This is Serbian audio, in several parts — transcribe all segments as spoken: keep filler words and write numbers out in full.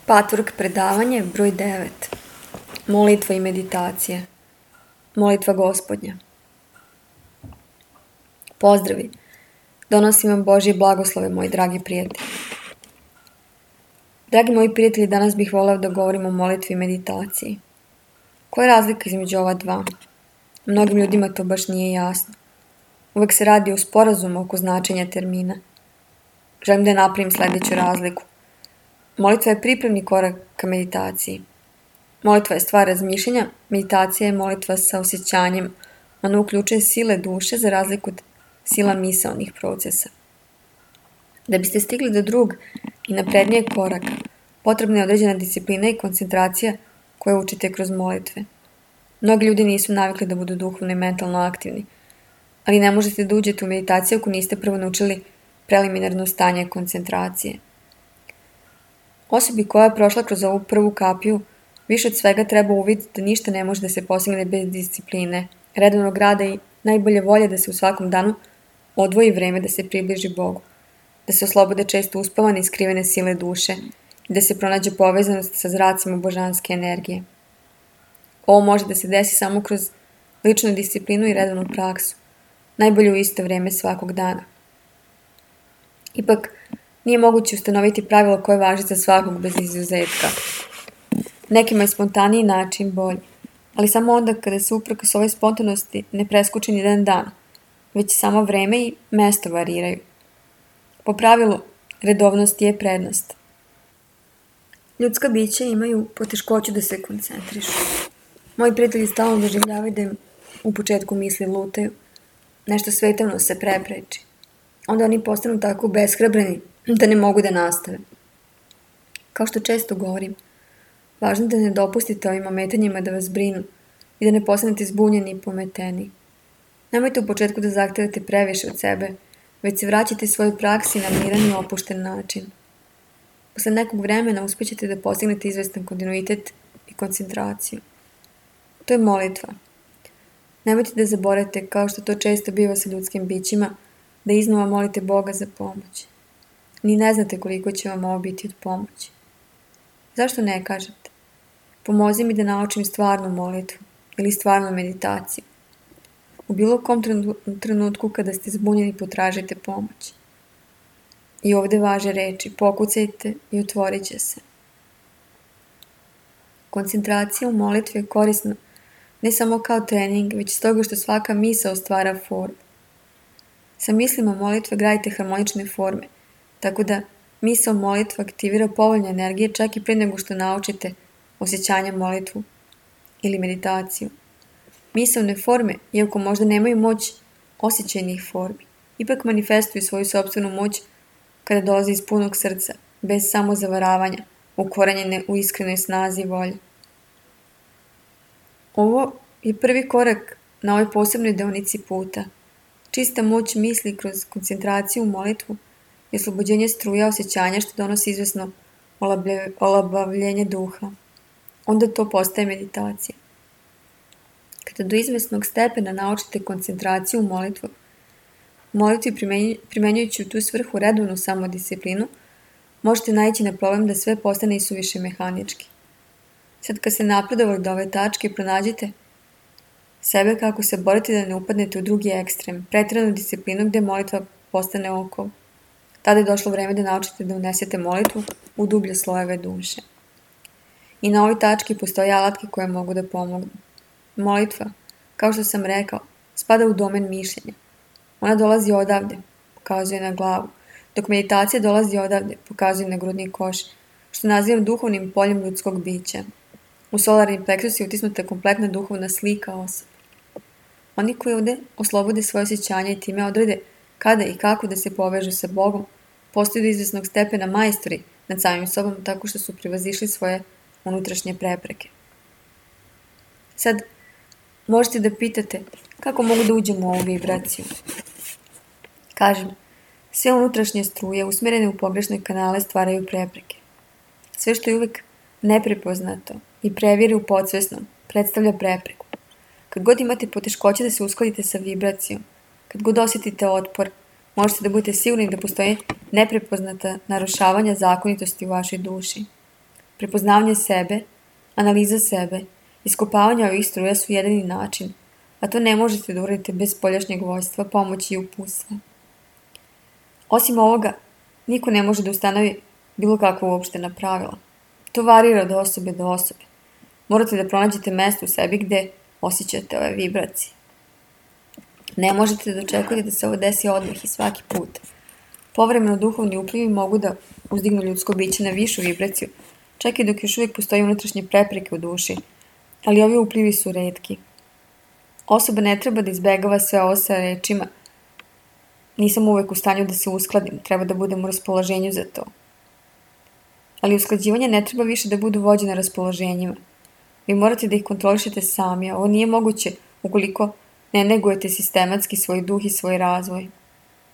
Patvork predavanje broj devet. Molitva i meditacije. Molitva Gospodnja. Pozdravi. Donosim vam Božje blagoslove, moji dragi prijatelji. Dragi moji prijatelji, danas bih voleo da govorim o molitvi i meditaciji. Koja je razlika između ova dva? Mnogim ljudima to baš nije jasno. Uvek se radi o sporazumu oko značenja termina. Želim da napravim sljedeću razliku. Molitva je pripremni korak ka meditaciji. Molitva je stvar razmišljanja, meditacija je molitva sa osjećanjem. Ona uključuje sile duše za razliku od sila misaonih procesa. Da biste stigli do drugog i naprednijeg koraka, potrebna je određena disciplina i koncentracija koje učite kroz molitve. Mnogi ljudi nisu navikli da budu duhovno i mentalno aktivni, ali ne možete da uđete u meditaciju ako niste prvo naučili preliminarno stanje koncentracije. Osobi koja je prošla kroz ovu prvu kapiju, više od svega treba uvidjeti da ništa ne može da se postigne bez discipline, redovnog rada i najbolje volje da se u svakom danu odvoji vreme da se približi Bogu, da se oslobode često uspavane i skrivene sile duše i da se pronađe povezanost sa zracima božanske energije. Ovo može da se desi samo kroz ličnu disciplinu i redovnu praksu, najbolje u isto vreme svakog dana. Ipak, nije moguće ustanoviti pravilo koje važi za svakog bez izuzetka. Nekima je spontaniji način bolji, ali samo onda kada se uprkos ove spontanosti ne preskuči ni jedan dan, već samo vreme i mesto variraju. Po pravilu, redovnost je prednost. Ljudska bića imaju poteškoću da se koncentrišu. Moji prijatelji stalno doživljavaju da im u početku misli lutaju, nešto svetovno se prepreči. Onda oni postanu tako beshrabreni da ne mogu da nastave. Kao što često govorim, važno je da ne dopustite ovim ometanjima da vas brinu i da ne postanete zbunjeni i pometeni. Nemojte u početku da zahtevate previše od sebe, već se vraćate svojoj praksi na miran i opušten način. Posle nekog vremena uspećete da postignete izvestan kontinuitet i koncentraciju. To je molitva. Nemojte da zaboravite, kao što to često biva sa ljudskim bićima, da iznova molite Boga za pomoć. Ni ne znate koliko će vam ovo biti od pomoći. Zašto ne kažete? Pomozi mi da naučim stvarnu molitvu ili stvarnu meditaciju. U bilo kom trenutku kada ste zbunjeni potražite pomoć. I ovdje važe reči, pokucajte i otvorit će se. Koncentracija u molitvi je korisna ne samo kao trening, već stoga što svaka misao stvara formu. Sa mislima molitve gradite harmonične forme, tako da misao molitva aktivira povoljne energije čak i prije nego što naučite osjećanja molitvu ili meditaciju. Misaone forme, iako možda nemaju moć osjećajnih formi, ipak manifestuju svoju sopstvenu moć kada dolaze iz punog srca, bez samozavaravanja, ukorenjene u iskrenoj snazi i volji. Ovo je prvi korak na ovoj posebnoj deonici puta. Čista moć misli kroz koncentraciju u molitvu je oslobođenje struja osjećanja što donosi izvesno olabavljenje duha. Onda to postaje meditacija. Kada do izvesnog stepena naučite koncentraciju u molitvu, molitvi primenjujući u tu svrhu redovnu samodisciplinu, možete naići na problem da sve postane isuviše mehanički. Sad kad ste napredovali do ove tačke, pronađite sebe kako se borite da ne upadnete u drugi ekstrem, pretjeranu disciplinu gdje molitva postane okov. Tada je došlo vreme da naučite da unesete molitvu u dublje slojeve duše. I na ovoj tački postoje alatke koje mogu da pomognu. Molitva, kao što sam rekao, spada u domen mišljenja. Ona dolazi odavde, pokazuje na glavu, dok meditacija dolazi odavde, pokazuje na grudni koš, što nazivam duhovnim poljem ljudskog bića. U solarni pleksus je utisnuta kompletna duhovna slika osobe. Oni koji ovdje oslobode svoje osjećanja i time odrede kada i kako da se povežu sa Bogom, postaju do izvesnog stepena majstori nad samim sobom tako što su prevazišli svoje unutrašnje prepreke. Sad, možete da pitate kako mogu da uđem u ovu vibraciju. Kažem, sve unutrašnje struje usmjerene u pogrešne kanale stvaraju prepreke. Sve što je uvijek neprepoznato i previre u podsvesnom predstavlja prepreku. Kad god imate poteškoće da se uskladite sa vibracijom, kad god osjetite otpor, možete da budete sigurni da postoje neprepoznata narušavanja zakonitosti u vašoj duši. Prepoznavanje sebe, analiza sebe, iskopavanje ovih struja su jedini način, a to ne možete da uradite bez spoljašnjeg vojstva, pomoći i uputstva. Osim ovoga, niko ne može da ustanovi bilo kakva uopštena pravila. To varira od osobe do osobe. Morate da pronađete mesto u sebi gde osjećate ove vibracije. Ne možete da očekujete da se ovo desi odmah i svaki put. Povremeno duhovni uplivi mogu da uzdignu ljudsko biće na višu vibraciju, čak i dok još uvijek postoji unutrašnje prepreke u duši, ali ovi uplivi su retki. Osoba ne treba da izbegava sve ovo sa rečima nisam uvek u stanju da se uskladim, treba da budem u raspoloženju za to. Ali usklađivanje ne treba više da budu vođene raspoloženjima. Vi morate da ih kontrolišete sami, a ovo nije moguće ukoliko ne negujete sistematski svoj duh i svoj razvoj.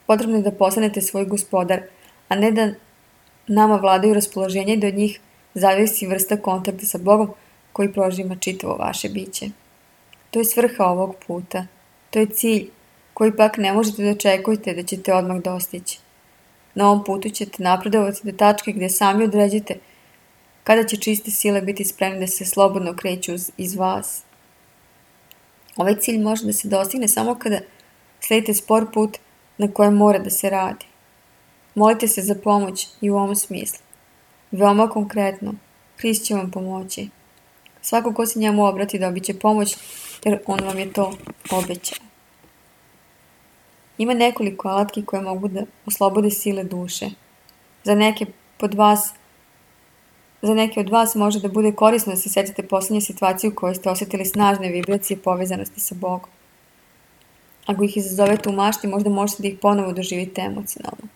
Potrebno je da postanete svoj gospodar, a ne da nama vladaju raspoloženja i da od njih zavisi vrsta kontakta sa Bogom koji prožima čitavo vaše biće. To je svrha ovog puta. To je cilj koji pak ne možete da očekujete da ćete odmah dostići. Na ovom putu ćete napredovati do tačke gdje sami određete kada će čiste sile biti spremne da se slobodno kreću iz vas. Ovaj cilj može da se dostigne samo kada sledite spor put na kojem mora da se radi. Molite se za pomoć i u ovom smislu. Veoma konkretno, Hrist će vam pomoći. Svako ko se njemu obrati dobit će pomoć, jer on vam je to obećao. Ima nekoliko alatki koje mogu da oslobode sile duše. Za neke pod vas Za neke od vas može da bude korisno da se sjetite posljednje situacije u kojoj ste osjetili snažne vibracije povezanosti sa Bogom. Ako ih izazovete u mašti, možda možete da ih ponovo doživite emocionalno.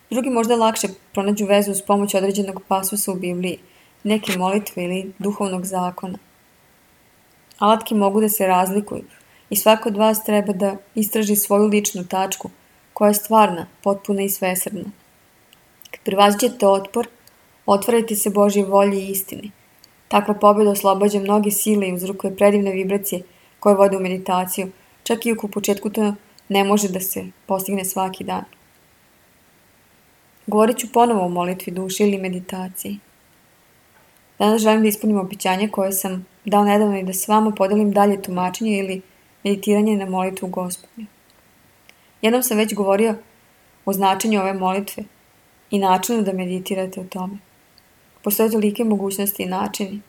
Drugi možda lakše pronađu vezu uz pomoć određenog pasusa u Bibliji, neke molitve ili duhovnog zakona. Alatke mogu da se razlikuju i svako od vas treba da istraži svoju ličnu tačku, koja je stvarna, potpuna i svesrdna. Kad prevaziđete otpor, otvarajte se Božjoj volji i istini. Takva pobjeda oslobađa mnoge sile i uzrokuje predivne vibracije koje vode u meditaciju, čak i ako u početku to ne može da se postigne svaki dan. Govorit ću ponovo o molitvi duše ili meditaciji. Danas želim da ispunim obećanje koje sam dao nedavno i da s vama podelim dalje tumačenje ili meditiranje na molitvu Gospodnju. Jednom sam već govorio o značenju ove molitve i načinu da meditirate o tome. Postoje tolike mogućnosti i načini.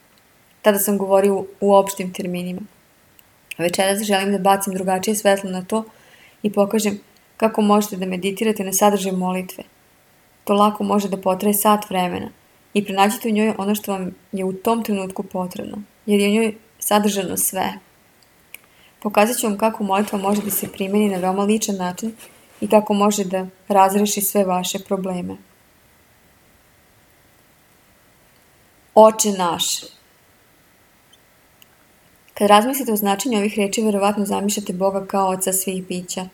Tada sam govorio u opštim terminima. Večeras želim da bacim drugačije svetlo na to i pokažem kako možete da meditirate na sadržaj molitve. To lako može da potraje sat vremena i pronađite u njoj ono što vam je u tom trenutku potrebno, jer je u njoj sadržano sve. Pokazat ću vam kako molitva može da se primeni na veoma ličan način i kako može da razreši sve vaše probleme. Oče naš. Kad razmislite o značenju ovih reči, verovatno zamišljate Boga kao oca svih bića.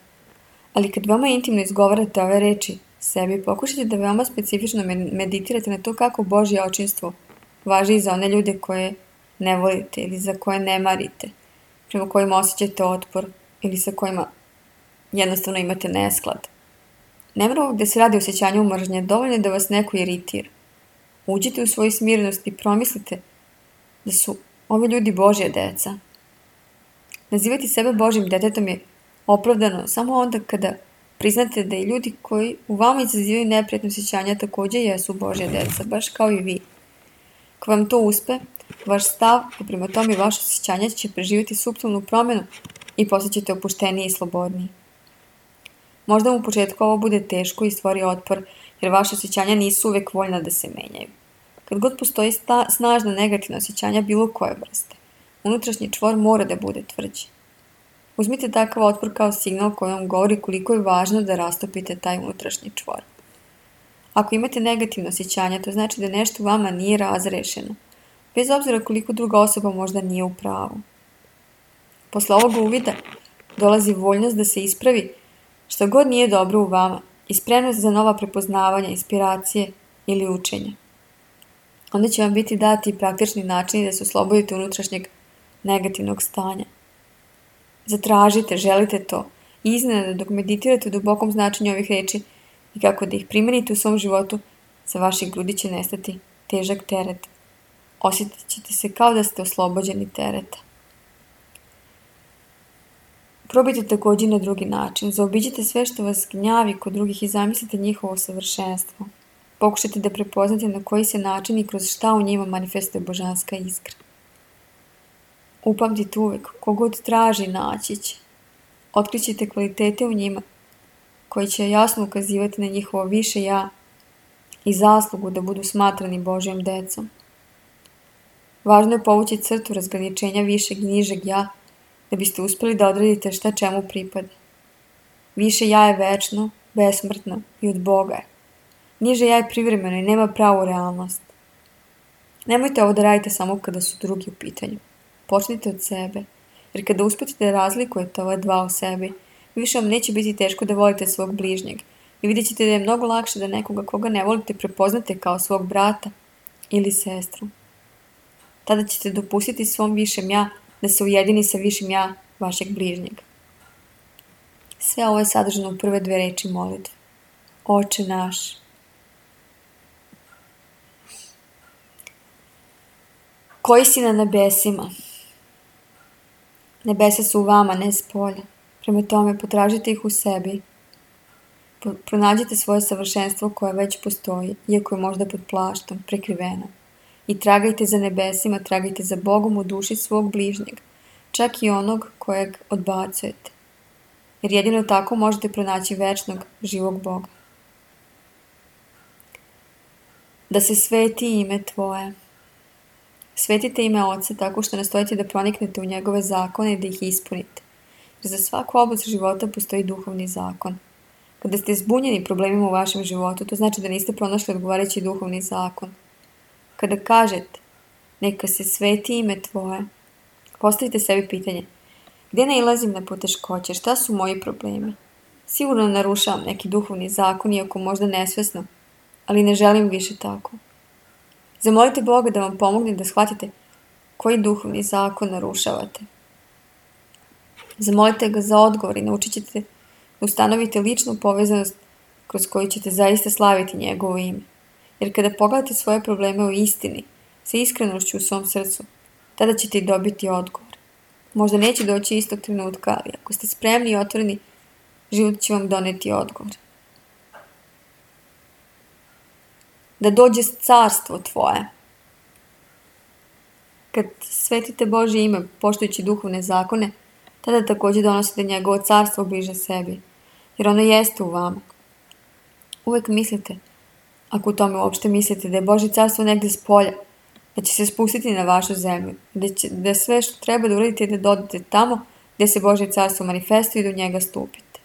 Ali kad veoma intimno izgovarate ove reči sebi, pokušajte da veoma specifično meditirate na to kako Božje očinstvo važi i za one ljude koje ne volite ili za koje ne marite, prema kojima osjećate otpor ili sa kojima jednostavno imate nesklad. Ne mora gde se radi o osjećanju mržnje, dovoljno je da vas neko iritira. Uđite u svoju smirenost i promislite da su ovi ljudi Božja deca. Nazivati sebe Božjim detetom je opravdano samo onda kada priznate da i ljudi koji u vama izazivaju neprijatno osjećanja također jesu Božja deca, baš kao i vi. Ako vam to uspe, vaš stav i prema tome vaše osjećanja će preživjeti suptilnu promjenu i postaćete opušteniji i slobodniji. Možda u početku ovo bude teško i stvori otpor, jer vaše osjećanja nisu uvek voljna da se menjaju. Kad god postoji sta, snažna negativna osjećanja bilo koje vrste, unutrašnji čvor mora da bude tvrđi. Uzmite takav otpor kao signal koji vam govori koliko je važno da rastopite taj unutrašnji čvor. Ako imate negativno osjećanja, to znači da nešto u vama nije razrešeno, bez obzira koliko druga osoba možda nije u pravu. Posle ovog uvida dolazi voljnost da se ispravi što god nije dobro u vama i spremnost za nova prepoznavanja, inspiracije ili učenja. Onda će vam biti dati praktični načini da se oslobodite unutrašnjeg negativnog stanja. Zatražite, želite to i iznenada dok meditirate u dubokom značenju ovih reči i kako da ih primenite u svom životu, sa vaših grudi će nestati težak teret. Osjetit ćete se kao da ste oslobođeni tereta. Probajte također na drugi način. Zaobiđite sve što vas gnjavi kod drugih i zamislite njihovo savršenstvo. Pokušajte da prepoznate na koji se način i kroz šta u njima manifestuje božanska iskra. Upamtite uvek, kogod traži naći će. Otkrićete kvalitete u njima koji će jasno ukazivati na njihovo više ja i zaslugu da budu smatrani Božjom decom. Važno je povući crtu razgraničenja višeg i nižeg ja da biste uspjeli da odredite šta čemu pripada. Više ja je večno, besmrtno i od Boga je. Niže ja je privremeno i nema pravu realnost. Nemojte ovo da radite samo kada su drugi u pitanju. Počnite od sebe, jer kada uspete da razlikujete ova dva u sebi, više vam neće biti teško da volite svog bližnjeg i vidjet ćete da je mnogo lakše da nekoga koga ne volite prepoznate kao svog brata ili sestru. Tada ćete dopustiti svom višem ja da se ujedini sa višim ja vašeg bližnjeg. Sve ovo je sadržano u prve dve reči molitve. Oče naš. Koji si na nebesima? Nebesa su u vama, ne spolja. Prema tome, potražite ih u sebi. Pronađite svoje savršenstvo koje već postoji, iako je možda pod plaštom, prekriveno. I tragajte za nebesima, tragajte za Bogom u duši svog bližnjeg, čak i onog kojeg odbacujete. Jer jedino tako možete pronaći večnog, živog Boga. Da se sveti ime Tvoje. Svetite ime Oca tako što nastojite da proniknete u njegove zakone i da ih ispunite. Jer za svaku oblast života postoji duhovni zakon. Kada ste zbunjeni problemima u vašem životu, to znači da niste pronašli odgovarajući duhovni zakon. Kada kažete, neka se sveti ime Tvoje, postavite sebi pitanje, gdje nailazim na poteškoće, šta su moji problemi? Sigurno narušavam neki duhovni zakon, iako možda nesvesno, ali ne želim više tako. Zamolite Boga da vam pomogne da shvatite koji duhovni zakon narušavate. Zamolite ga za odgovor i naučit ćete da ustanovite ličnu povezanost kroz koju ćete zaista slaviti njegovo ime. Jer kada pogledate svoje probleme u istini, sa iskrenošću u svom srcu, tada ćete i dobiti odgovor. Možda neće doći istog trenutka, ali ako ste spremni i otvoreni, život će vam doneti odgovor. Da dođe carstvo Tvoje. Kad svetite Božje ime, poštujući duhovne zakone, tada također donosite njegovo carstvo bliže sebi, jer ono jeste u vama. Uvijek mislite, ako u tome uopšte mislite, da je Božje carstvo negdje s polja, da će se spustiti na vašu zemlju, da, će, da sve što treba da uradite je da dodate tamo gdje se Božje carstvo manifestuje i do njega stupite.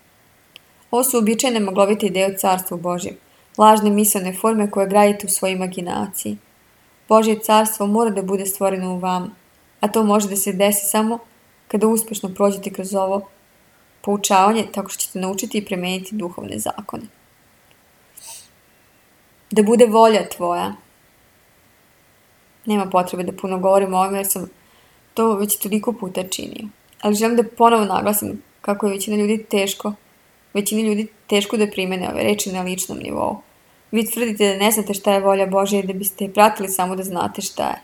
Ovo su uobičajene maglovite ideje o carstvu Božjem, lažne misaone forme koje gradite u svojoj imaginaciji. Božje carstvo mora da bude stvoreno u vama, a to može da se desi samo kada uspješno prođete kroz ovo poučavanje tako što ćete naučiti i premeniti duhovne zakone. Da bude volja Tvoja. Nema potrebe da puno govorim o ovome jer sam to već toliko puta činio. Ali želim da ponovo naglasim kako je većina ljudi teško, većini ljudi teško da primene ove reči na ličnom nivou. Vi tvrdite da ne znate šta je volja Božja i da biste je pratili samo da znate šta je.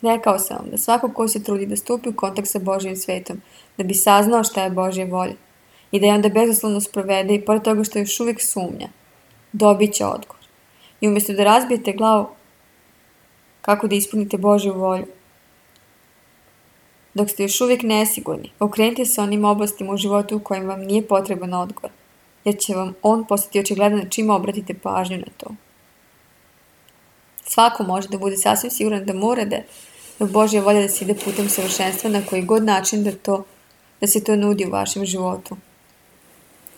Rekao sam vam da svako ko se trudi da stupi u kontakt sa Božjim svetom, da bi saznao šta je Božja volja i da je onda bezuslovno sprovede i pored toga što još uvijek sumnja, dobit će odgovor. I umjesto da razbijete glavu kako da ispunite Božju volju, dok ste još uvijek nesigurni, okrenite se onim oblastima u životu u kojim vam nije potreban odgovor, jer će vam on postati očigledan čime obratite pažnju na to. Svako može da bude sasvim siguran da mora da je Božja volja da se ide putem savršenstva na koji god način da, to, da se to nudi u vašem životu.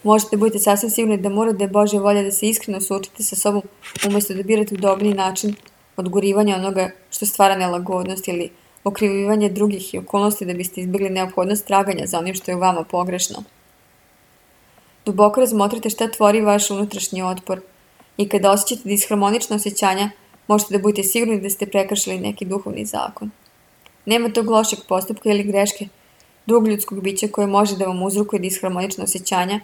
Možete da budete sasvim sigurni da mora da je Božja volja da se iskreno suočite sa sobom umjesto da birate udobniji način odgurivanja onoga što stvara nelagodnost ili okrivljivanje drugih i okolnosti da biste izbjegli neophodnost traganja za onim što je u vama pogrešno. Duboko razmotrite šta tvori vaš unutrašnji otpor i kada osjećate disharmonična osjećanja, možete da budete sigurni da ste prekršili neki duhovni zakon. Nema tog lošeg postupka ili greške drugog ljudskog bića koje može da vam uzrokuje disharmonična osjećanja,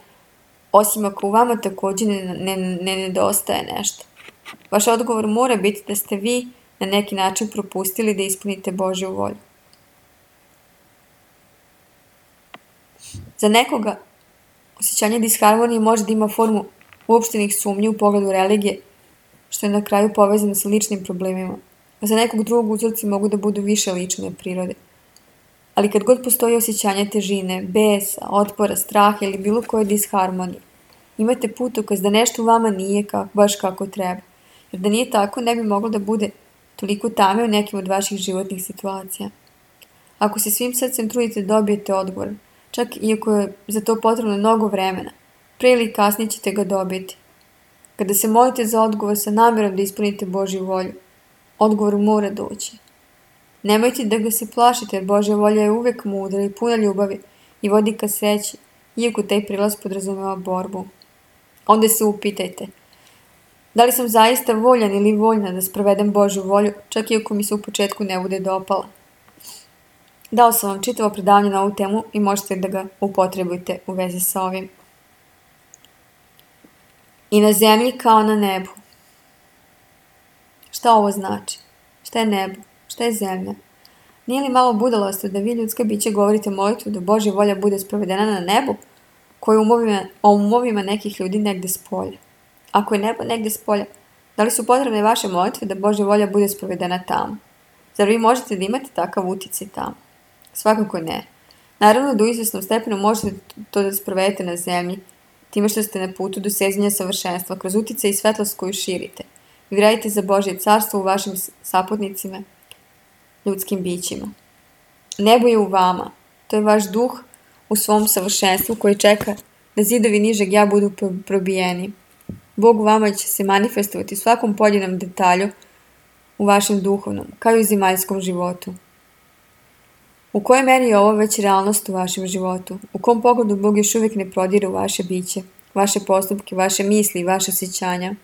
osim ako u vama također ne, ne, ne nedostaje nešto. Vaš odgovor mora biti da ste vi na neki način propustili da ispunite Božju volju. Za nekoga osjećanje disharmonije može da ima formu uopštenih sumnji u pogledu religije, što je na kraju povezano sa ličnim problemima. A za nekog drugog uzroci mogu da budu više lične prirode. Ali kad god postoji osjećanje težine, besa, otpora, straha ili bilo koje disharmonije, imate putokaz da nešto u vama nije kako, baš kako treba. Jer da nije tako, ne bi moglo da bude toliko tame u nekim od vaših životnih situacija. Ako se svim srcem trudite da dobijete odgovor, čak iako je za to potrebno mnogo vremena, pre ili kasnije ćete ga dobiti. Kada se molite za odgovor sa namjerom da ispunite Božju volju, odgovor mora doći. Nemojte da ga se plašite, jer Božja volja je uvek mudra i puna ljubavi i vodi ka sreći, iako taj prilaz podrazumeva borbu. Onda se upitajte, da li sam zaista voljan ili voljna da sprovedem Božju volju, čak iako mi se u početku ne bude dopala. Dao sam vam čitavo predavanje na ovu temu i možete da ga upotrebujete u vezi sa ovim. I na zemlji kao na nebu. Šta ovo znači? Šta je nebo? Šta je zemlja? Nije li malo budalosti da vi ljudska bića govorite molitvu da Božja volja bude sprovedena na nebu, koja je umovima, o umovima nekih ljudi negde spolja? Ako je nebo negde spolja, da li su potrebne vaše molitve da Božja volja bude sprovedena tamo? Zar vi možete da imate takav uticaj tamo? Svakako ne. Naravno da u izvesnom stepenu možete to da sprovedete na zemlji, time što ste na putu do sezanja savršenstva, kroz uticaj i svetlost koju širite. Vi radite za Božje carstvo u vašim saputnicima, ljudskim bićima. Nebo je u vama. To je vaš duh u svom savršenstvu koji čeka da zidovi nižeg ja budu probijeni. Bog u vama će se manifestovati u svakom pojedinom detalju u vašem duhovnom, kao i u zemaljskom životu. U kojoj meri je ovo već realnost u vašem životu? U kom pogledu Bog još uvijek ne prodire u vaše biće, vaše postupke, vaše misli i vaše osjećanja?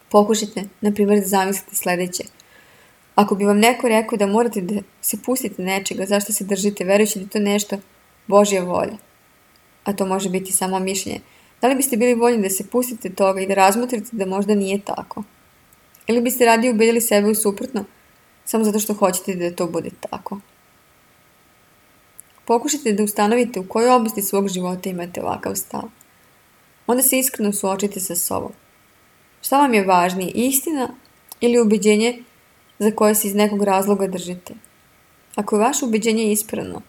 Pokušajte, na primjer, da zamislite sledeće. Ako bi vam neko rekao da morate da se pustite nečega, zašto se držite, verujući da je to nešto Božja volja, a to može biti samo mišljenje, da li biste bili voljni da se pustite toga i da razmotrite da možda nije tako? Ili biste radije ubedili sebe u suprotno, samo zato što hoćete da to bude tako? Pokušajte da ustanovite u kojoj oblasti svog života imate ovakav stav. Onda se iskreno suočite sa sobom. Šta vam je važnije, istina ili ubeđenje za koje se iz nekog razloga držite? Ako je vaše ubeđenje ispravno,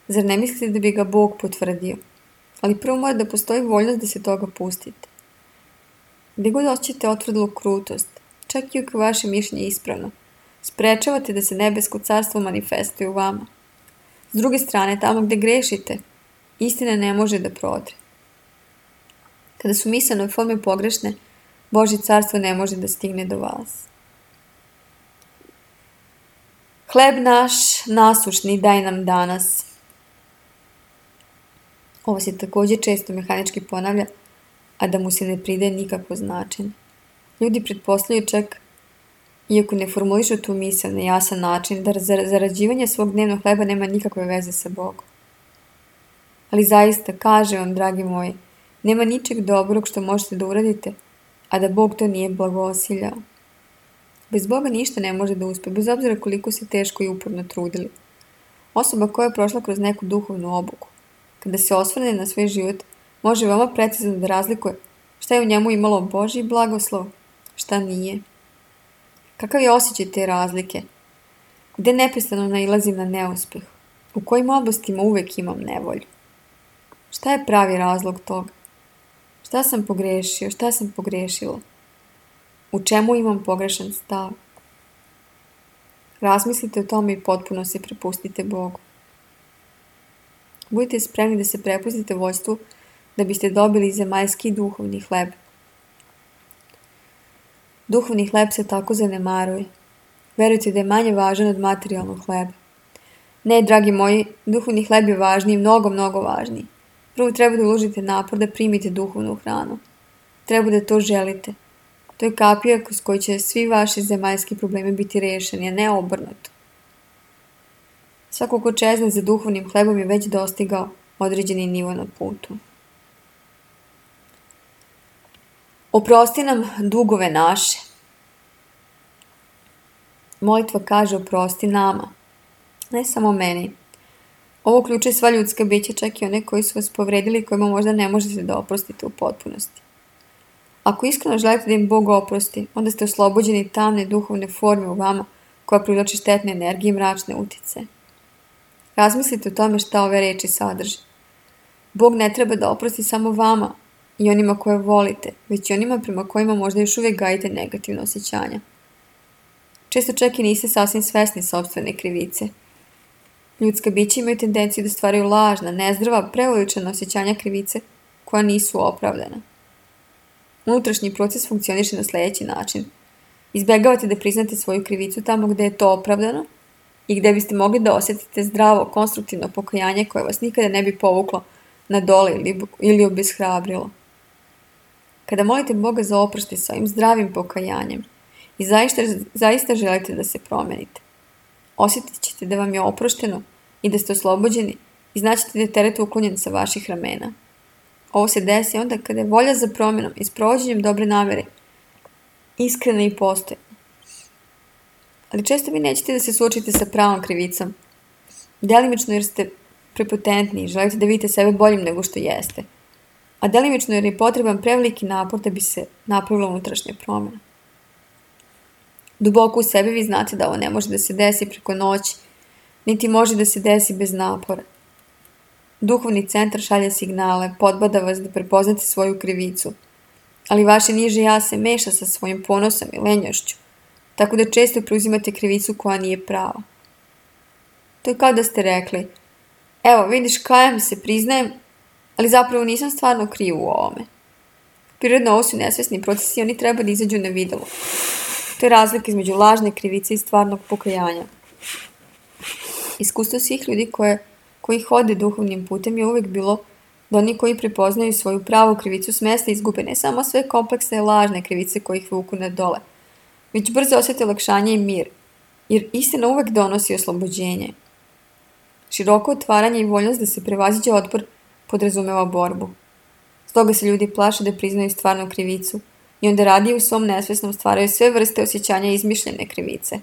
zar ne mislite da bi ga Bog potvrdio? Ali prvo mora da postoji voljnost da se toga pustite. Gde god osjećate otvrdlu krutost, čak i ako je vaše mišljenje ispravno, sprečavate da se nebesko carstvo manifestuje u vama. S druge strane, tamo gde grešite, istina ne može da prodre. Kada su misaljne forme pogrešne, Božje carstvo ne može da stigne do vas. Hleb naš nasušni daj nam danas. Ovo se također često mehanički ponavlja, a da mu se ne pridaje nikakvo značenje. Ljudi pretpostavljaju čak, iako ne formulišu tu misao na jasan način, da zarađivanje svog dnevnog hleba nema nikakve veze sa Bogom. Ali zaista, kaže vam, dragi moji, nema ničeg dobrog što možete da uradite, a da Bog to nije blagosiljao. Bez Boga ništa ne može da uspe, bez obzira koliko se teško i uporno trudili. Osoba koja je prošla kroz neku duhovnu obuku, kada se osvrne na svoj život, može veoma precizno da razlikuje šta je u njemu imalo Božji blagoslov, šta nije. Kakav je osjećaj te razlike? Gde neprestano nailazim na neuspeh? U kojim oblastima uvek imam nevolju? Šta je pravi razlog toga? Šta sam pogrešio? Šta sam pogrešila? U čemu imam pogrešan stav? Razmislite o tome i potpuno se prepustite Bogu. Budite spremni da se prepustite vođstvu da biste dobili zemaljski duhovni hleb. Duhovni hleb se tako zanemaruje. Verujte da je manje važan od materijalnog hleba. Ne, dragi moji, duhovni hleb je važniji, mnogo, mnogo važniji. Prvo treba da uložite napor da primite duhovnu hranu. Treba da to želite. To je kapija kroz koju će svi vaši zemaljski problemi biti rešeni, a ne obrnuto. Svako ko čezne za duhovnim hlebom je već dostigao određeni nivo na putu. Oprosti nam dugove naše. Molitva kaže oprosti nama, ne samo meni. Ovo uključuje sva ljudska bića, čak i one koji su vas povredili i kojima možda ne možete da oprostite u potpunosti. Ako iskreno želite da im Bog oprosti, onda ste oslobođeni tamne duhovne forme u vama koja privlači štetne energije i mračne utice. Razmislite o tome šta ove reči sadrže. Bog ne treba da oprosti samo vama i onima koje volite, već i onima prema kojima možda još uvijek gajite negativne osjećanja. Često čak i niste sasvim svesni sopstvene krivice. Ljudska bića imaju tendenciju da stvaraju lažna, nezdrava, preuveličana osjećanja krivice koja nisu opravdana. Unutrašnji proces funkcioniše na sljedeći način. Izbjegavate da priznate svoju krivicu tamo gdje je to opravdano i gdje biste mogli da osjetite zdravo, konstruktivno pokajanje koje vas nikada ne bi povuklo na dole ili, ili obeshrabrilo. Kada molite Boga za oproštaj sa ovim zdravim pokajanjem i zaista, zaista želite da se promenite, osjetit ćete da vam je oprošteno i da ste oslobođeni i znaćete da je teret uklonjen sa vaših ramena. Ovo se desi onda kada je volja za promjenom i sprovođenjem dobre namjere iskrena i postojna. Ali često vi nećete da se suočite sa pravom krivicom, delimično jer ste prepotentni i želite da vidite sebe boljim nego što jeste, a delimično jer je potreban preveliki napor da bi se napravila unutrašnja promjena. Duboko u sebi vi znate da ovo ne može da se desi preko noći, niti može da se desi bez napora. Duhovni centar šalje signale, podbada vas da prepoznate svoju krivicu, ali vaše niže ja se meša sa svojim ponosom i lenjošću, tako da često preuzimate krivicu koja nije prava. To je kao da ste rekli, evo vidiš kajem se, priznajem, ali zapravo nisam stvarno kriv u ovome. Prirodno ovo su nesvesni procesi i oni treba da izađu na videlo. To je razlika između lažne krivice i stvarnog pokajanja. Iskustvo svih ljudi koje, koji hode duhovnim putem je uvijek bilo da oni koji prepoznaju svoju pravu krivicu s mesta izgube ne samo sve kompleksne lažne krivice koje ih vuku na dole, već brzo osjete olakšanje i mir, jer istina uvijek donosi oslobođenje. Široko otvaranje i voljnost da se prevaziđe otpor podrazumeva borbu. Stoga se ljudi plaše da priznaju stvarnu krivicu i onda radije u svom nesvesnom stvaraju sve vrste osjećanja izmišljene krivice,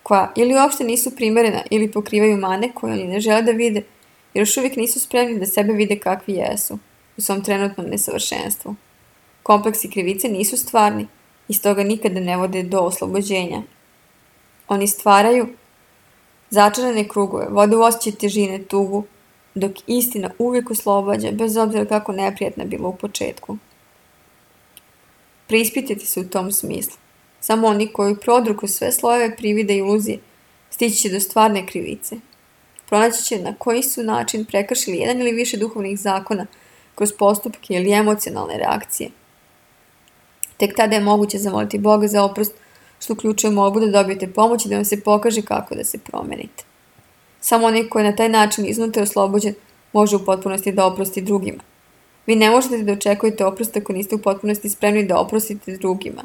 koja ili uopšte nisu primerena ili pokrivaju mane koje oni ne žele da vide, jer još uvijek nisu spremni da sebe vide kakvi jesu, u svom trenutnom nesavršenstvu. Kompleksi krivice nisu stvarni i stoga nikada ne vode do oslobođenja. Oni stvaraju začarane krugove, vode u osjećaj težine, tugu, dok istina uvijek oslobađa, bez obzira kako neprijatna bila u početku. Preispitajte se u tom smislu. Samo oni koji prodru kroz sve slojeve privide i iluzije stići će do stvarne krivice. Pronaći će na koji su način prekršili jedan ili više duhovnih zakona kroz postupke ili emocionalne reakcije. Tek tada je moguće zamoliti Boga za oprost, što uključuje molbu da dobijete pomoć i da vam se pokaže kako da se promenite. Samo onaj koji je na taj način iznutra oslobođen može u potpunosti da oprosti drugima. Vi ne možete da očekujete oprost ako niste u potpunosti spremni da oprostite drugima.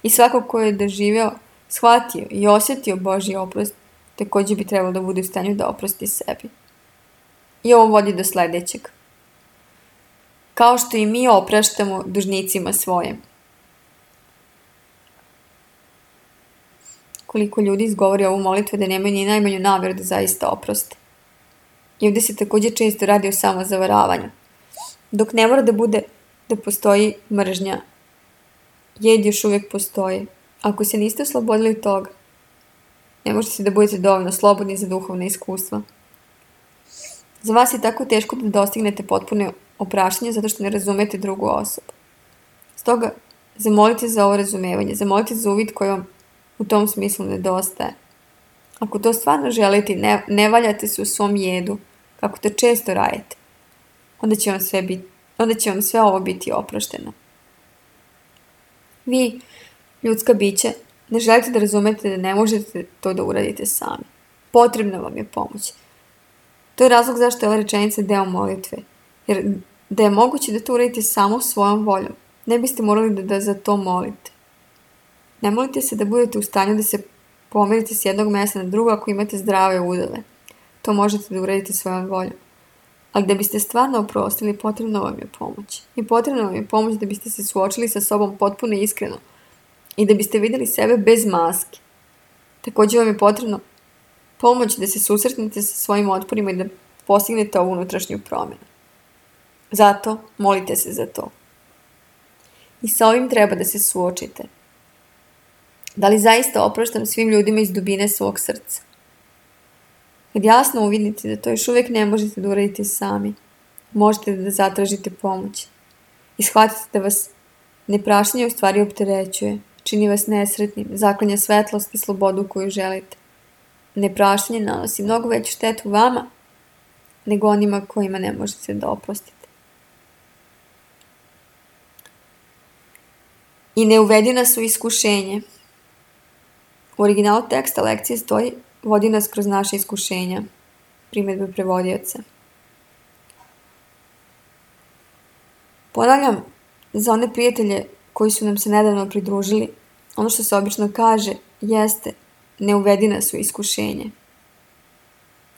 I svako ko je doživeo, shvatio i osjetio Božji oprost, također bi trebalo da bude u stanju da oprosti sebi. I ovo vodi do sljedećeg. Kao što i mi opraštamo dužnicima svojim. Koliko ljudi izgovori ovu molitvu da nemaju ni najmanju namjeru da zaista oproste. I ovdje se također često radi o samozavaravanju. Dok ne mora da bude da postoji mržnja, jed još uvijek postoji. Ako se niste oslobodili toga, ne možete da budete dovoljno slobodni za duhovne iskustva. Za vas je tako teško da dostignete potpuno opraštanje zato što ne razumete drugu osobu. Stoga, zamolite za ovo razumevanje, zamolite za uvid koji vam u tom smislu nedostaje. Ako to stvarno želite, ne, ne valjate se u svom jedu, kako to često radite, onda će vam sve, biti, onda će vam sve ovo biti oprošteno. Vi, ljudska bića, ne želite da razumete da ne možete to da uradite sami. Potrebna vam je pomoć. To je razlog zašto je ova rečenica deo molitve. Jer da je moguće da to uradite samo svojom voljom, ne biste morali da, da za to molite. Ne molite se da budete u stanju da se pomerite s jednog mjesta na drugo ako imate zdrave udove. To možete da uradite svojom voljom. Ali da biste stvarno oprostili, potrebno vam je pomoć. I potrebno vam je pomoć da biste se suočili sa sobom potpuno iskreno i da biste vidjeli sebe bez maske. Također vam je potrebno pomoć da se susretnete sa svojim otporima i da postignete ovu unutrašnju promjenu. Zato molite se za to. I sa ovim treba da se suočite. Da li zaista opraštam svim ljudima iz dubine svog srca? Kad jasno uvidite da to još uvijek ne možete da uradite sami, možete da zatražite pomoć. I shvatite da vas nepraštanje u stvari opterećuje, čini vas nesretnim, zaklanja svetlost i slobodu koju želite. Nepraštanje nanosi mnogo veću štetu vama nego onima kojima ne možete da oprostite. I ne uvedi nas u iskušenje. U originalu teksta lekcije stoji: vodi nas kroz naše iskušenja. Primjedbe prevodioca. Ponavljam, za one prijatelje koji su nam se nedavno pridružili, ono što se obično kaže jeste: ne uvedi nas u iskušenje.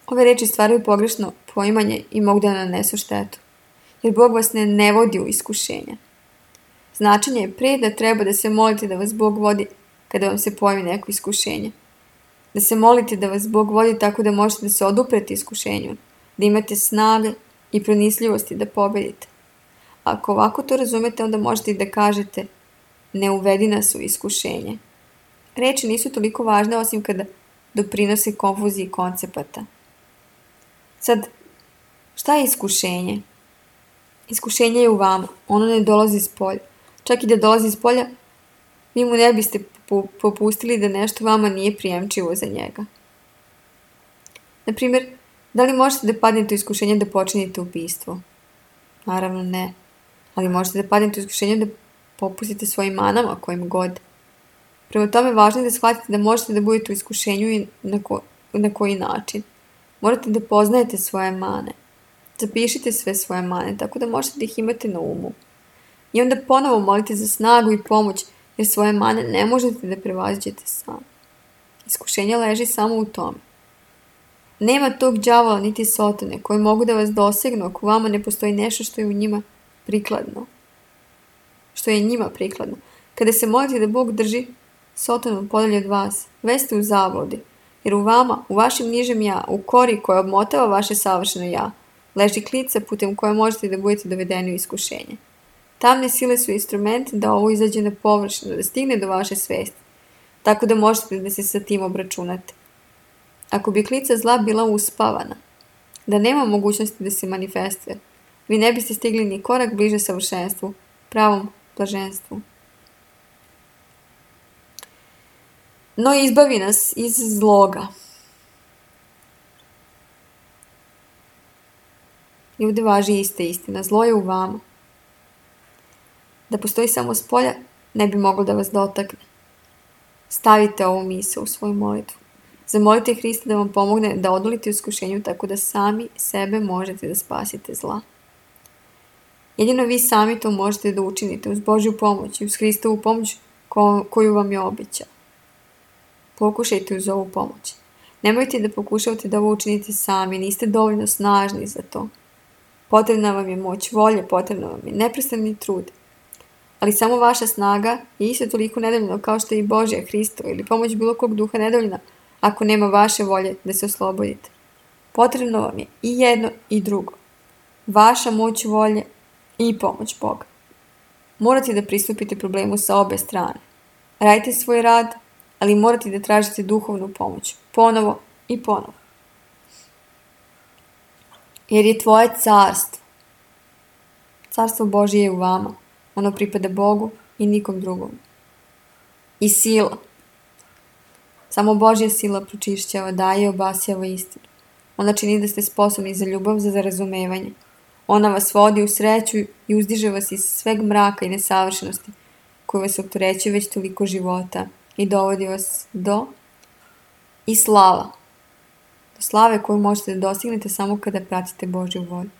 Ove reči stvaraju pogrešno poimanje i mogu da nanesu štetu, jer Bog vas ne, ne vodi u iskušenja. Značenje je pre da treba da se molite da vas Bog vodi kada vam se pojavi neko iskušenje. Da se molite da vas Bog vodi tako da možete da se oduprete iskušenju, da imate snage i pronicljivosti da pobedite. Ako ovako to razumete, onda možete i da kažete: ne uvedi nas u iskušenje. Reči nisu toliko važne osim kada doprinose konfuziji koncepata. Sad, šta je iskušenje? Iskušenje je u vama, ono ne dolazi iz polja. Čak i da dolazi iz polja, vi mu ne biste popustili da nešto vama nije prijemčivo za njega. Naprimjer, da li možete da padnete u iskušenje da počinite ubistvo? Naravno ne, ali možete da padnete u iskušenje da popustite svojim manama kojim god. Prema tome, važno je da shvatite da možete da budete u iskušenju i na, ko, na koji način. Morate da poznajete svoje mane. Zapišite sve svoje mane, tako da možete da ih imate na umu. I onda ponovo molite za snagu i pomoć, jer svoje mane ne možete da prevaziđete sami. Iskušenje leži samo u tome. Nema tog đavola niti sotone koji mogu da vas dosegnu ako vama ne postoji nešto što je u njima prikladno. Što je njima prikladno. Kada se molite da Bog drži sotonu podalje od vas, već ste u zabludi, jer u vama, u vašem nižem ja, u kori koja obmotava vaše savršeno ja, leži klica putem koje možete da budete dovedeni u iskušenje. Tamne sile su instrumenti da ovo izađe na površinu, da stigne do vaše svesti, tako da možete da se sa tim obračunate. Ako bi klica zla bila uspavana, da nema mogućnosti da se manifestuje, vi ne biste stigli ni korak bliže savršenstvu, pravom blaženstvu. No izbavi nas iz zloga. I ovdje važi ista istina. Zlo je u vama. Da postoji samo s polja, ne bi moglo da vas dotakne. Stavite ovu misao u svoju molitvu. Zamolite Hrista da vam pomogne da odolite iskušenju tako da sami sebe možete da spasite zla. Jedino vi sami to možete da učinite uz Božju pomoć i uz Hristovu pomoć ko, koju vam je obećao. Pokušajte uz ovu pomoć. Nemojte da pokušavate da ovo učinite sami, niste dovoljno snažni za to. Potrebna vam je moć volje, potrebna vam je neprestani trud. Ali samo vaša snaga je isto toliko nedovoljna kao što je i Božja, Hristova ili pomoć bilo kog duha nedovoljna ako nema vaše volje da se oslobodite. Potrebno vam je i jedno i drugo. Vaša moć volje i pomoć Boga. Morate da pristupite problemu sa obe strane. Radite svoj rad, ali morate da tražite duhovnu pomoć. Ponovo i ponovo. Jer je tvoje carstvo. Carstvo Božje je u vama. Ono pripada Bogu i nikom drugom. I sila. Samo Božja sila pročišćava, daje i obasjava istinu. Ona čini da ste sposobni za ljubav, za razumevanje. Ona vas vodi u sreću i uzdiže vas iz sveg mraka i nesavršenosti koji vas opterećuje već toliko života i dovodi vas do i slava. Do slave koju možete da dostignete samo kada pratite Božju volju.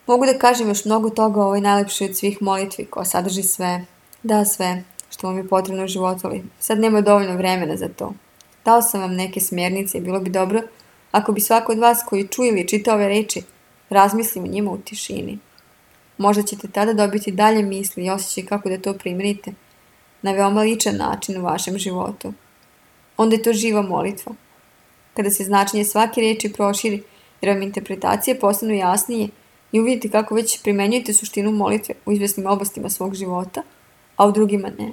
Mogu da kažem još mnogo toga o ovoj najlepšoj od svih molitvi koja sadrži sve, da sve što vam je potrebno u životu, ali sad nema dovoljno vremena za to. Dao sam vam neke smjernice i bilo bi dobro ako bi svako od vas koji čuje ili čita ove reči razmislio o njima u tišini. Možda ćete tada dobiti dalje misli i osjećaj kako da to primenite na veoma ličan način u vašem životu. Onda je to živa molitva. Kada se značenje svake reči proširi, jer vam interpretacije postanu jasnije i uvidite kako već primenjujete suštinu molitve u izvesnim oblastima svog života, a u drugima ne.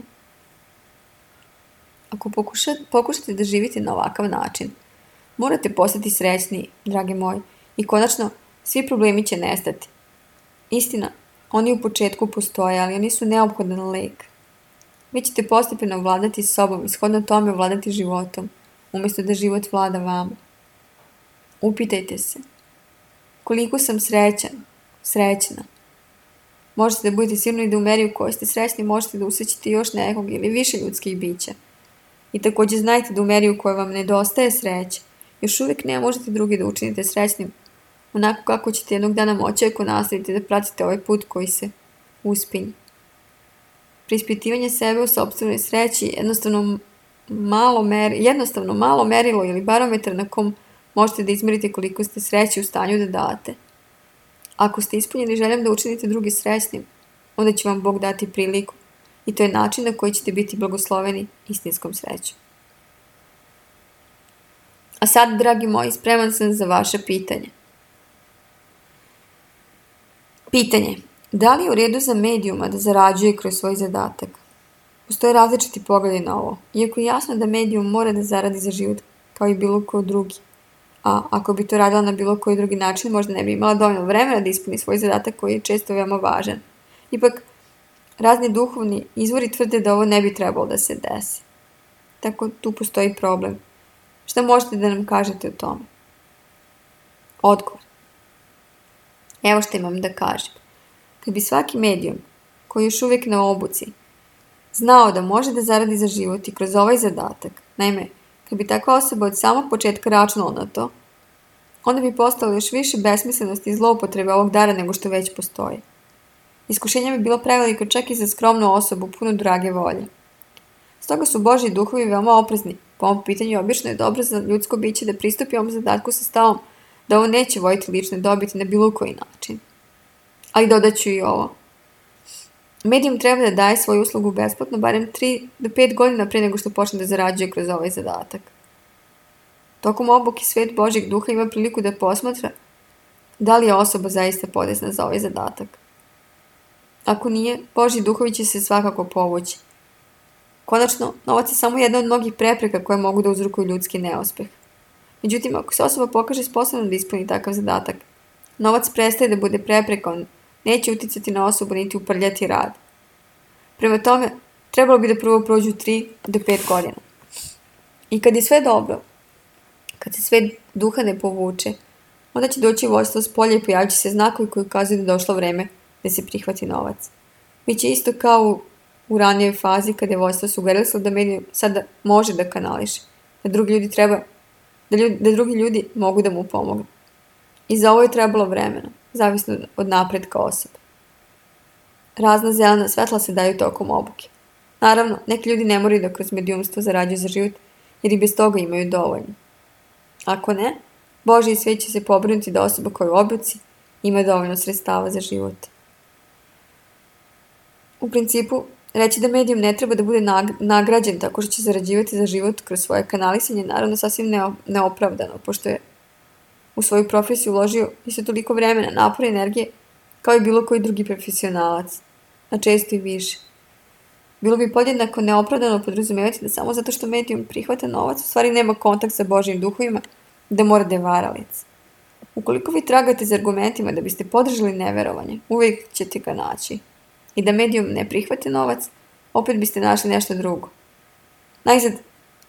Ako pokušate, pokušate da živite na ovakav način, morate postati srećniji, drage moji, i konačno svi problemi će nestati. Istina, oni u početku postoje, ali oni su neophodan lek. Vi ćete postepeno vladati sobom i shodno tome vladati životom, umjesto da život vlada vama. Upitajte se, koliko sam srećan, srećna. Možete da budete sigurni da u meri u kojoj ste srećni možete da usrećite još nekog ili više ljudskih bića. I također znajte da u meri u kojoj vam nedostaje sreće, još uvijek ne možete drugi da učinite srećnim, onako kako ćete jednog dana moći ako nastavite da pratite ovaj put koji se uspinje. Preispitivanje sebe u sopstvenoj sreći je jednostavno malo, mer, jednostavno malo merilo ili barometar na kom možete da izmerite koliko ste sreće u stanju da date. Ako ste ispunjeni željom da učinite drugi srećnim, onda će vam Bog dati priliku i to je način na koji ćete biti blagosloveni istinskom srećom. A sad, dragi moji, spreman sam za vaše pitanje. Pitanje. Da li je u redu za medijuma da zarađuje kroz svoj zadatak? Postoje različiti pogledi na ovo, iako je jasno da medijum mora da zaradi za život, kao i bilo ko drugi. A ako bi to radila na bilo koji drugi način, možda ne bi imala dovoljno vremena da ispuni svoj zadatak koji je često veoma važan. Ipak, razni duhovni izvori tvrde da ovo ne bi trebalo da se desi. Tako tu postoji problem. Šta možete da nam kažete o tome? Odgovor. Evo što imam da kažem. Kad bi svaki medijum, koji je još uvijek na obuci, znao da može da zaradi za život i kroz ovaj zadatak, naime, kad bi takva osoba od samog početka računala na to, onda bi postalo još više besmislenosti i zloupotrebe ovog dara nego što već postoji. Iskušenje bi bilo preveliko čak i za skromnu osobu punu drage volje. Stoga su Božji duhovi veoma oprezni. Po ovom pitanju obično je dobro za ljudsko biće da pristupi ovom zadatku sa stavom da ovo neće vojiti lične dobiti na bilo koji način. Ali dodaću i ovo. Medijum treba da daje svoju uslugu besplatno barem tri do pet godina pre nego što počne da zarađuje kroz ovaj zadatak. Tokom obuke svet Božjeg duha ima priliku da posmatra da li je osoba zaista podesna za ovaj zadatak. Ako nije, Božji duhovi će se svakako povući. Konačno, novac je samo jedna od mnogih prepreka koje mogu da uzrokuju ljudski neuspeh. Međutim, ako se osoba pokaže sposobna da ispuni takav zadatak, novac prestaje da bude prepreka, on neće uticati na osobu niti uprljati rad. Prema tome, trebalo bi da prvo prođu tri do pet godina. I kad je sve dobro, kad se svet duha ne povuče, onda će doći vojstvo s polja i pojavit će se znakovi koji ukazuju da je došlo vreme da se prihvati novac. Biće isto kao u, u ranijoj fazi kada je vojstvo sugerisalo da medijum sada može da kanališe, da drugi ljudi treba, da, ljudi, da drugi ljudi mogu da mu pomognu. I za ovo je trebalo vremena, zavisno od napretka osobe. Razna zelena svetla se daju tokom obuke. Naravno, neki ljudi ne moraju da kroz medijumstvo zarađuju za život, jer i bez toga imaju dovoljno. Ako ne, Božji svet će se pobrinuti da osoba koja je u obuci ima dovoljno sredstava za život. U principu, reći da medijum ne treba da bude nagrađen tako što će zarađivati za život kroz svoje kanalisanje, naravno sasvim neopravdano, pošto je u svoju profesiju uložio isto toliko vremena, napora i energije kao i bilo koji drugi profesionalac, a često i više. Bilo bi podjednako neopravdano podrazumevati da samo zato što medijum prihvata novac, u stvari nema kontakt sa Božjim duhovima, da mora da je varalic. Ukoliko vi tragate za argumentima da biste podržali neverovanje, uvijek ćete ga naći. I da medijum ne prihvate novac, opet biste našli nešto drugo. Najzad,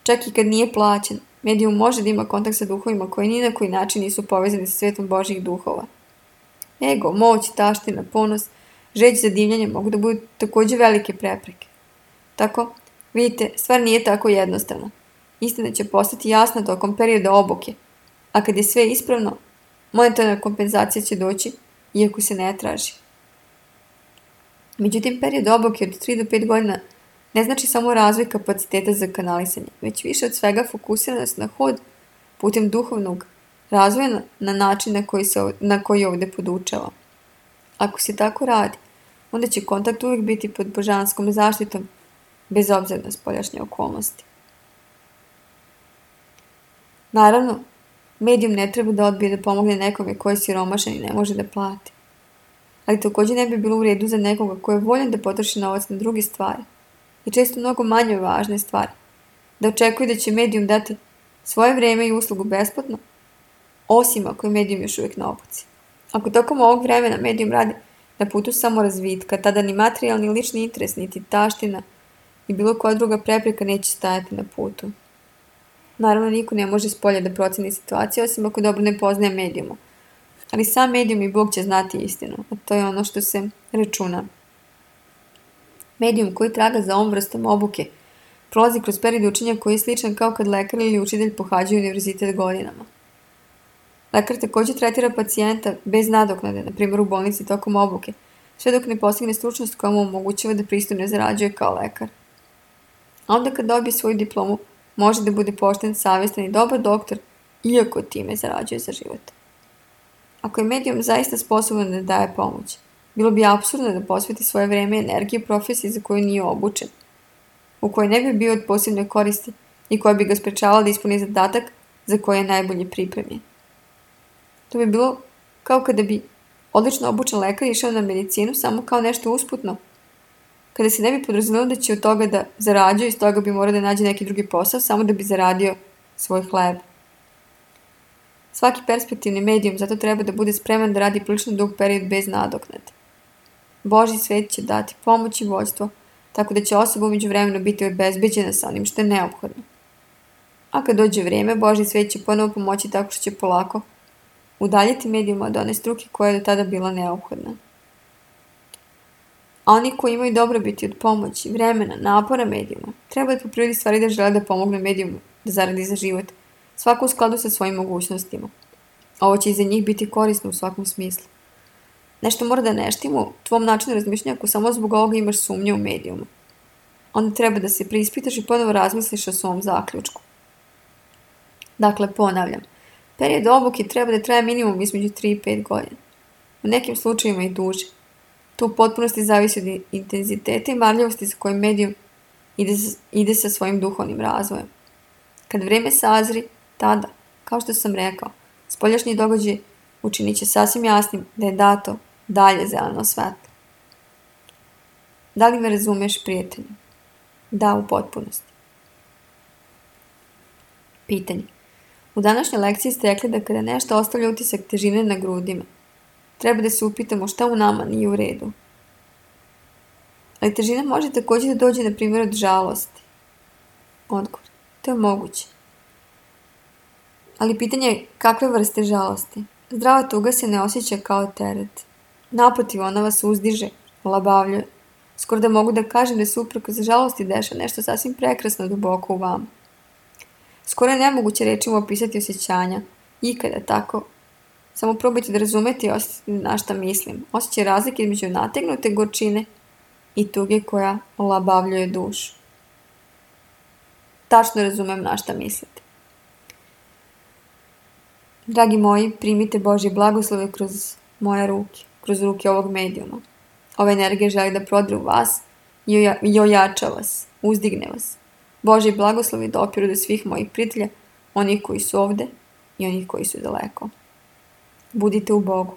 čak i kad nije plaćen, medijum može da ima kontakt sa duhovima koji ni na koji način nisu povezani sa svetom Božjih duhova. Ego, moć, taština, ponos, žeć za divljanje mogu da budu također velike prepreke. Tako, vidite, stvar nije tako jednostavna. Istina će postati jasna tokom perioda obuke, a kad je sve ispravno, monetarna kompenzacija će doći, iako se ne traži. Međutim, period obuke od tri do pet godina ne znači samo razvoj kapaciteta za kanalisanje, već više od svega fokusiranost na hod putem duhovnog razvoja na način na koji, se, na koji ovdje podučava. Ako se tako radi, onda će kontakt uvijek biti pod božanskom zaštitom, bez obzira na spoljašnje okolnosti. Naravno, medijum ne treba da odbije da pomogne nekome koji je siromašan i ne može da plati. Ali također ne bi bilo u redu za nekoga koji je voljan da potroši novac na druge stvari i često mnogo manje važne stvari, da očekuje da će medijum dati svoje vrijeme i uslugu besplatno, osim ako je medijum još uvijek na obuci. Ako tokom ovog vremena medijum radi na putu samorazvitka, tada ni materijalni lični interes, niti taština i bilo koja druga prepreka neće stajati na putu. Naravno, niko ne može s polja da proceni situaciju, osim ako dobro ne poznaje medijuma. Ali sam medijum i Bog će znati istinu, a to je ono što se računa. Medijum koji traga za ovom vrstom obuke prolazi kroz period učenja koji je sličan kao kad lekar ili učitelj pohađaju univerzitet godinama. Lekar također tretira pacijenta bez nadoknade, na primjer u bolnici tokom obuke, sve dok ne postigne stručnost koja mu omogućava da pristojno zarađuje kao lekar. A onda kad dobije svoju diplomu, može da bude pošten, savjestan i dobar doktor, iako time zarađuje za život. Ako je medijum zaista sposoban da daje pomoć, bilo bi apsurdno da posveti svoje vrijeme i energiju profesiji za koju nije obučen, u kojoj ne bi bio od posebne koristi i koja bi ga sprečavala da ispuni zadatak za koji je najbolje pripremljen. To bi bilo kao kada bi odlično obučen lekar išao na medicinu samo kao nešto usputno, kada se ne bi podrazumelo da će od toga da zarađuje i s toga bi morao da nađe neki drugi posao samo da bi zaradio svoj hleb. Svaki perspektivni medijum zato treba da bude spreman da radi prilično dug period bez nadoknade. Božji svet će dati pomoć i vođstvo, tako da će osoba umeđu vremenu biti obezbeđena sa onim što je neophodno. A kad dođe vrijeme, Božji svet će ponovo pomoći tako što će polako udaljiti medijuma od one struke koja je do tada bila neophodna. A oni koji imaju dobrobiti od pomoći, vremena, napora medijuma, treba da po prirodi stvari da žele da pomogne medijumu da zaradi za život, svako u skladu sa svojim mogućnostima. Ovo će i za njih biti korisno u svakom smislu. Nešto mora da neštimo u tvom načinu razmišljanja ako samo zbog ovoga imaš sumnje u medijumu. Onda treba da se preispitaš i ponovo razmisliš o svom zaključku. Dakle, ponavljam, period obuke treba da traje minimum između tri i pet godina. U nekim slučajevima i duže. To u potpunosti zavisi od intenziteta i marljivosti sa kojim medijum ide, ide sa svojim duhovnim razvojem. Kad vrijeme sazri, tada, kao što sam rekao, spoljašnji događaj učinit će sasvim jasnim da je dato dalje zeleno svetlo. Da li me razumeš, prijatelju? Da, u potpunosti. Pitanje. U današnjoj lekciji ste rekli da kada nešto ostavlja utisak težine na grudima, treba da se upitamo šta u nama nije u redu. Ali težina može također da dođe, na primjer, od žalosti. Odgovor. To je moguće. Ali pitanje je kakve vrste žalosti. Zdrava tuga se ne osjeća kao teret. Naprotiv, ona vas uzdiže, olabavljuje. Skoro da mogu da kažem da se uprkos žalosti deša nešto sasvim prekrasno duboko u vama. Skoro je nemoguće rečima opisati osjećanja. Ikada tako. Samo probajte da razumete i osjetite na šta mislim. Osjećaj razlike između nategnute gorčine i tuge koja olabavljuje dušu. Tačno razumem na šta mislite. Dragi moji, primite Božje blagoslove kroz moje ruke, kroz ruke ovog medijuma. Ova energija želi da prodre u vas i ojača vas, uzdigne vas. Božji blagoslovi dopiru do svih mojih prijatelja, onih koji su ovde i onih koji su daleko. Budite u Bogu.